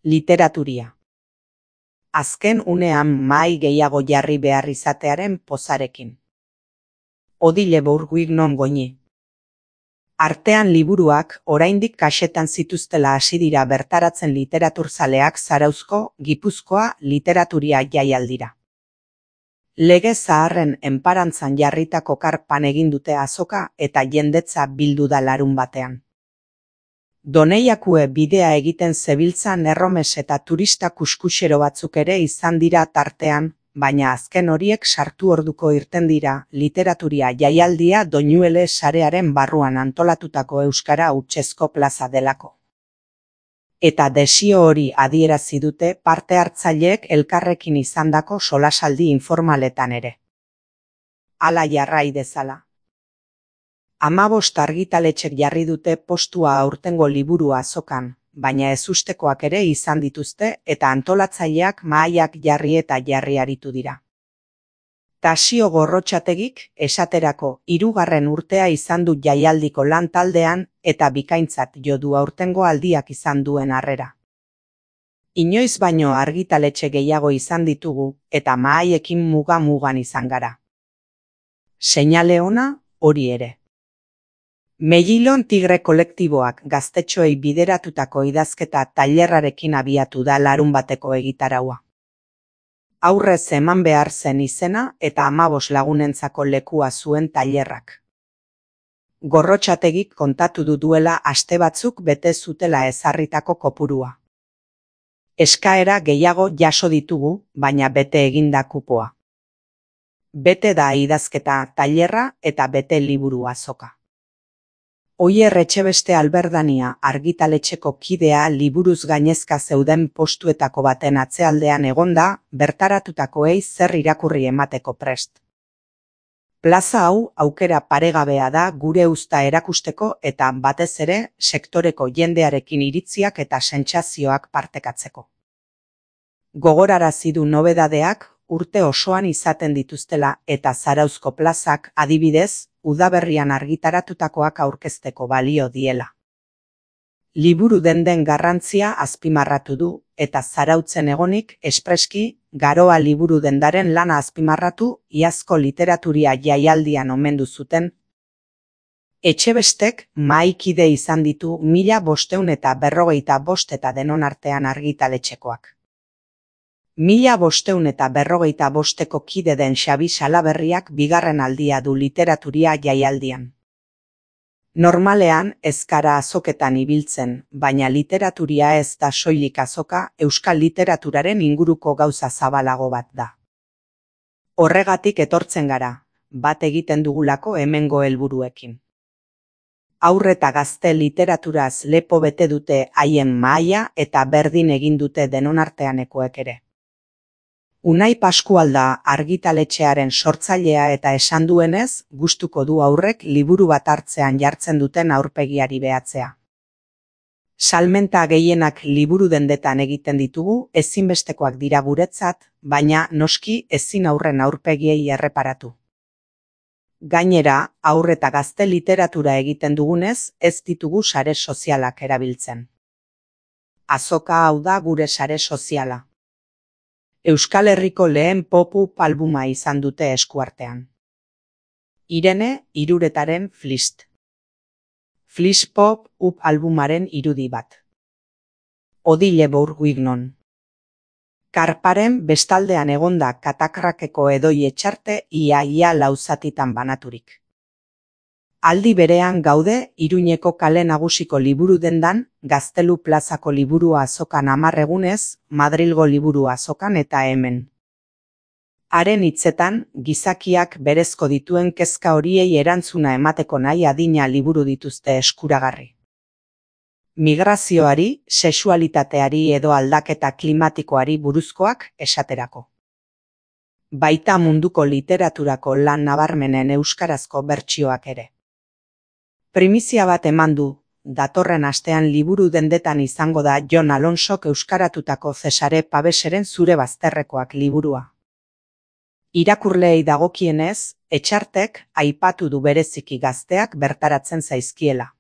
Literaturia. Azken unean mahai gehiago jarri behar izatearen pozarekin. Odile Bourguignon Goñi. Artean liburuak oraindik kaxetan zituztela hasi dira bertaratzen literaturzaleak Zarauzko, Gipuzkoa Literaturia jaialdira. Lege zaharren enparantzan jarritako karpan egin dute azoka eta jendetza bildu da larunbatean. Doneiakue bidea egiten zebiltzan erromes eta turista kuskuxero batzuk ere izan dira tartean, baina azken horiek sartu orduko irten dira Literaturia jaialdia Doñuele sarearen barruan antolatutako euskara hutsezko plaza delako. Eta desio hori adierazi dute parte hartzaileek elkarrekin izandako solasaldi informaletan ere. Hala jarrai dezala. 15 argitaletxek jarri dute postua aurtengo liburu azokan, baina ezustekoak ere izan dituzte eta antolatzaileak mahaiak jarri eta jarri aritu dira. Tasio Gorrotxategik, esaterako, 3. urtea izan du jaialdiko lan taldean eta bikaintzat jo du aurtengo aldiak izan duen harrera. Inoiz baino argitaletxe gehiago izan ditugu eta mahaiekin muga-mugan izan gara. Seinale ona, hori ere. Mellilon Tigre kolektiboak gaztetxoei bideratutako idazketa tailerrarekin abiatu da larunbateko egitaraua. Aurrez eman behar zen izena eta 15 lagunentzako lekua zuen tailerrak. Gorrotxategik kontatu duela aste batzuk bete zutela ezarritako kopurua. Eskaera gehiago jaso ditugu, baina bete eginda kupoa. Bete da idazketa tailerra eta bete liburu azoka. Oier Etxebeste Alberdania argitaletxeko kidea liburuz gainezka zeuden postuetako baten atzealdean egonda, bertaratutakoei zer irakurri emateko prest. Plaza hau aukera paregabea da gure uzta erakusteko eta batez ere sektoreko jendearekin iritziak eta sentsazioak partekatzeko. Gogorarazi du nobedadeak urte osoan izaten dituztela eta Zarauzko plazak adibidez, udaberrian argitaratutakoak aurkezteko balio diela. Liburu den garrantzia azpimarratu du eta Zarautzen egonik espreski Garoa liburu dendaren lana azpimarratu iazko Literaturia jaialdian omendu zuten. Etxebestek mahaikide izan ditu 1545 eta denon artean argitaletxekoak. 1545eko kide den Xabi Salaberriak 2. aldia du Literaturia jaialdian. Normalean ez gara azoketan ibiltzen, baina Literaturia ez da soilik azoka, euskal literaturaren inguruko gauza zabalago bat da. Horregatik etortzen gara, bat egiten dugulako hemengo helburuekin. Haur eta gazte literaturaz lepo bete dute haien mahaia eta berdin egin dute denonarteanekoek ere. Unai Paskualda argitaletxearen sortzailea eta esan duenez, gustuko du aurrek liburu bat hartzean jartzen duten aurpegiari behatzea. Salmenta gehienak liburu dendetan egiten ditugu, ezinbestekoak dira guretzat, baina noski ezin aurren aurpegiei erreparatu. Gainera, haur eta gazte literatura egiten dugunez, ez ditugu sare sozialak erabiltzen. Azoka hau da gure sare soziala. Euskal Herriko lehen pop-up albuma izan dute eskuartean. Irene Iruretaren Flist. Flist pop-up albumaren irudi bat. Odile Bourguignon. Karparen bestaldean egonda Katakrakeko edoi etxarte ia lauzatitan banaturik. Aldi berean gaude Iruñeko kale nagusiko liburu dendan, Gaztelu plazako liburu azokan 10 egunez, Madrilgo liburu azokan eta hemen. Haren hitzetan, gizakiak berezko dituen kezka horiei erantzuna emateko nahi adina liburu dituzte eskuragarri. Migrazioari, sexualitateari edo aldaketa klimatikoari buruzkoak esaterako. Baita munduko literaturako lan nabarmenen euskarazko bertsioak ere. Primizia bat eman du, datorren astean liburu dendetan izango da Jon Alonsok euskaratutako Cesare Paveseren Zure bazterrekoak liburua. Irakurleei dagokienez, etxartek aipatu du bereziki gazteak bertaratzen zaizkiela.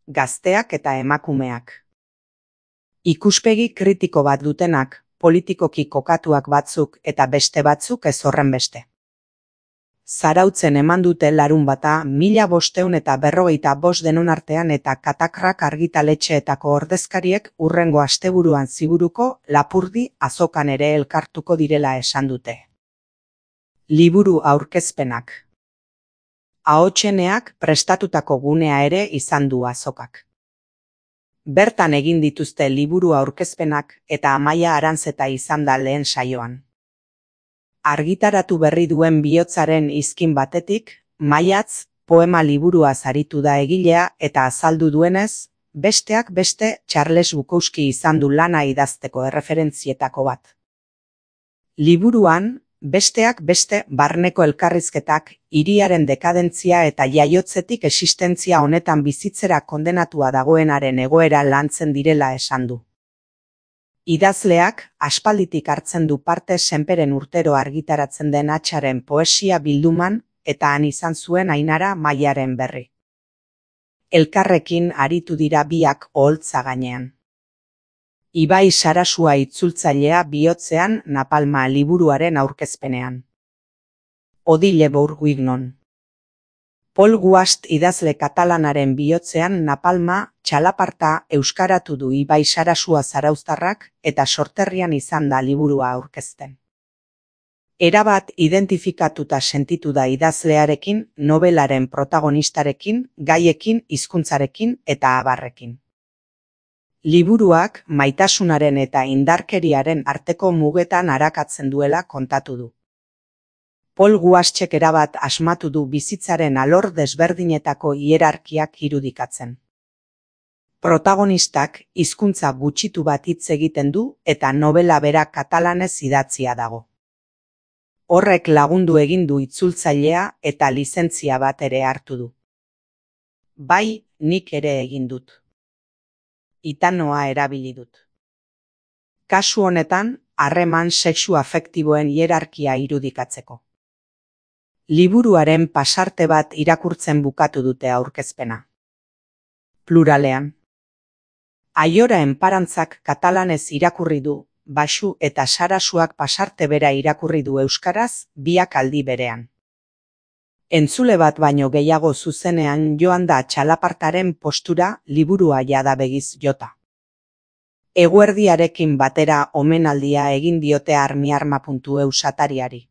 Gazteak eta emakumeak. Ikuspegi kritiko bat dutenak, politikoki kokatuak batzuk eta beste batzuk ez horrenbeste. Zarautzen eman dute larunbata 1545 denon artean eta Katakrak argitaletxeetako ordezkariek hurrengo asteburuan ziburuko Lapurdi azokan ere elkartuko direla esan dute. Liburu aurkezpenak. Ahotseneak prestatutako gunea ere izan du azokak. Bertan egin dituzte liburu aurkezpenak eta Amaia Aranzeta izan da lehen saioan. Argitaratu berri duen bihotzaren izkin batetik, Maiatz poema liburua aritu da egilea eta azaldu duenez, besteak beste Charles Bukowski izan du lana idazteko erreferentzietako bat. Liburuan, besteak beste barneko elkarrizketak, hiriaren dekadentzia eta jaiotzetik existentzia honetan bizitzera kondenatua dagoenaren egoera lantzen direla esan du. Idazleak aspalditik hartzen du parte Senperen urtero argitaratzen den Hatxaren poesia bilduman eta han izan zuen Ainara Maiaren berri. Elkarrekin aritu dira biak oholtza gainean. Ibai Sarasua itzultzailea bihotzean Napalma liburuaren aurkezpenean. Odile Bourguignon. Paul Guast idazle katalanaren bihotzean Napalma txalaparta euskaratu du Ibai Sarasua zarauztarrak eta sorterrian izan da liburua aurkezten. Erabat identifikatuta sentitu da idazlearekin, nobelaren protagonistarekin, gaiekin, hizkuntzarekin eta abarrekin. Liburuak maitasunaren eta indarkeriaren arteko mugetan arakatzen duela kontatu du. Paul Guastek erabat asmatu du bizitzaren alor desberdinetako hierarkiak irudikatzen. Protagonistak hizkuntza gutxitu bat hitz egiten du eta nobela bera katalanez idatzia dago. Horrek lagundu egin du itzultzailea eta lizentzia bat ere hartu du. Bai, nik ere egin dut. Itanoa erabili dut. Kasu honetan, harreman sexu afektiboen hierarkia irudikatzeko. Liburuaren pasarte bat irakurtzen bukatu dute aurkezpena. Pluralean. Aiora enparantzak katalanez irakurri du, Baxu eta Sarasuak pasarte bera irakurri du euskaraz, biak aldi berean. Entzule bat baino gehiago zuzenean joan da txalapartaren postura liburua jada begiz jota. Eguerdiarekin batera omenaldia egin diote armiarma.eu satariari.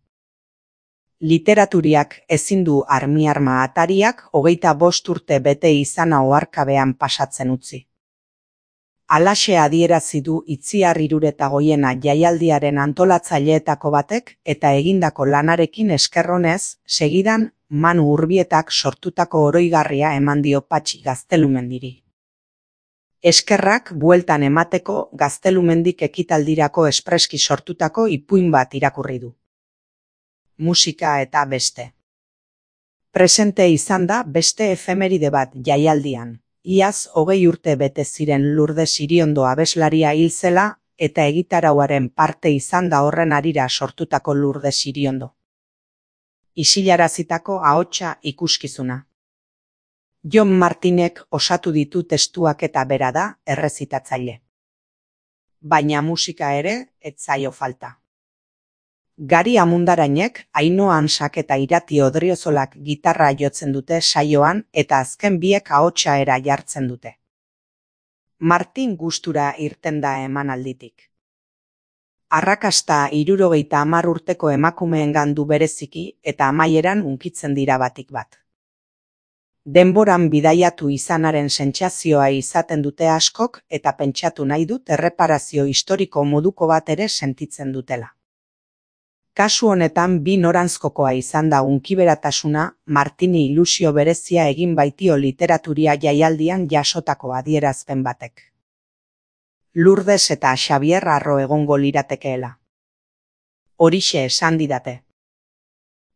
Literaturiak ezin du armiarma atariak 25 urte bete izana oharkabean pasatzen utzi. Halaxe adierazi du Itziar Hiruretagoiena jaialdiaren antolatzaileetako batek eta egindako lanarekin eskerronez, segidan Manu Urbietak sortutako oroigarria eman dio Patxi Gaztelumendiri. Eskerrak bueltan emateko Gaztelumendik ekitaldirako espreski sortutako ipuin bat irakurri du. Musika eta beste. Presente izan da beste efemeride bat jaialdian. Iaz 20 urte bete ziren Lourdes Iriondo abeslaria hil zela eta egitarauaren parte izan da horren harira sortutako Lourdes Iriondo. Isilarazitako ahotsa ikuskizuna. Jon Martinek osatu ditu testuak eta bera da errezitatzaile. Baina musika ere ez zaio falta. Gari Amundarainek, Ainhoa Ansak eta Irati Odriozolak gitarra jotzen dute saioan eta azken biek ahotsa era jartzen dute. Martin gustura irten da emanalditik. Arrakasta 70 urteko emakumeengan du bereziki eta amaieran hunkitzen dira batik bat. Denboran bidaiatu izanaren sentsazioa izaten dute askok eta pentsatu nahi dut erreparazio historiko moduko bat ere sentitzen dutela. Kasu honetan bi noranzkokoa izan da hunkiberatasuna Martini ilusio berezia egin baitio literaturia jaialdian jasotako adierazpen batek. Lourdes eta Xabier Arro egongo liratekeela. Horixe esan didate.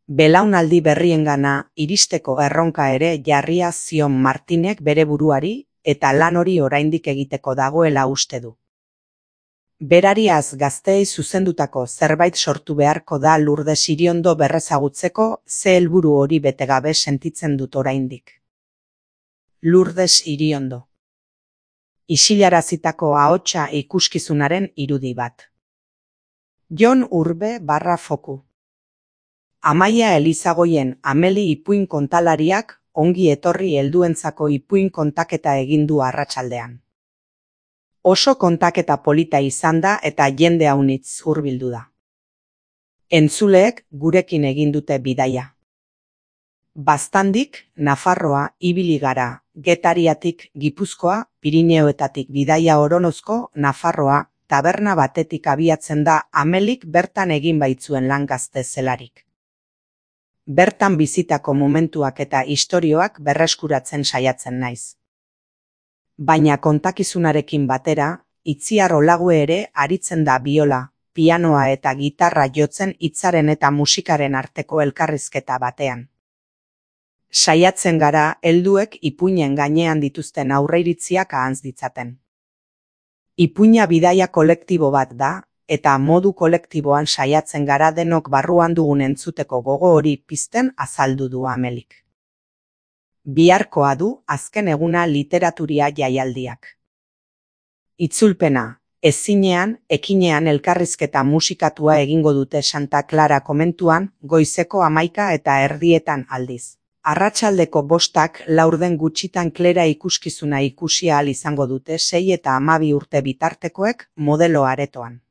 Belaunaldi berriengana iristeko erronka ere jarria zion Martinek bere buruari eta lan hori oraindik egiteko dagoela uste du. Berariaz gazteei zuzendutako zerbait sortu beharko da Lourdes Iriondo berrezagutzeko ze helburu hori betegabe sentitzen dut oraindik. Lourdes Iriondo. isilarazitako ahotsa ikuskizunaren irudi bat. Jon Urbe /Foku. Amaia Elizagoien Ameli ipuin kontalariak ongi etorri helduentzako ipuin kontaketa egin du arratsaldean. Oso kontaketa polita izan da eta jende haunitz hurbildu da. Entzuleek gurekin egin dute bidaia. Baztandik, Nafarroa, ibili gara, Getariatik, Gipuzkoa, Pirineoetatik bidaia Oronozko, Nafarroa, taberna batetik abiatzen da Amelik bertan egin baitzuen lan gazte zelarik. Bertan bizitako momentuak eta istorioak berreskuratzen saiatzen naiz. Baina kontakizunarekin batera, Itziar Olague ere aritzen da biola, pianoa eta gitarra jotzen hitzaren eta musikaren arteko elkarrizketa batean. Saiatzen gara helduek ipuinen gainean dituzten aurreiritziak ahantz ditzaten. Ipuina bidaia kolektibo bat da, eta modu kolektiboan saiatzen gara denok barruan dugun entzuteko gogo hori pizten azaldu du Amelik. Biharkoa du azken eguna Literaturia jaialdiak. Itzulpena, ezinean, ekinean elkarrizketa musikatua egingo dute Santa Clara komentuan, goizeko 11:30 aldiz. Arratsaldeko 5 laurden gutxitan Klera ikuskizuna ikusi ahal izango dute 6 eta 12 urte bitartekoek modelo aretoan.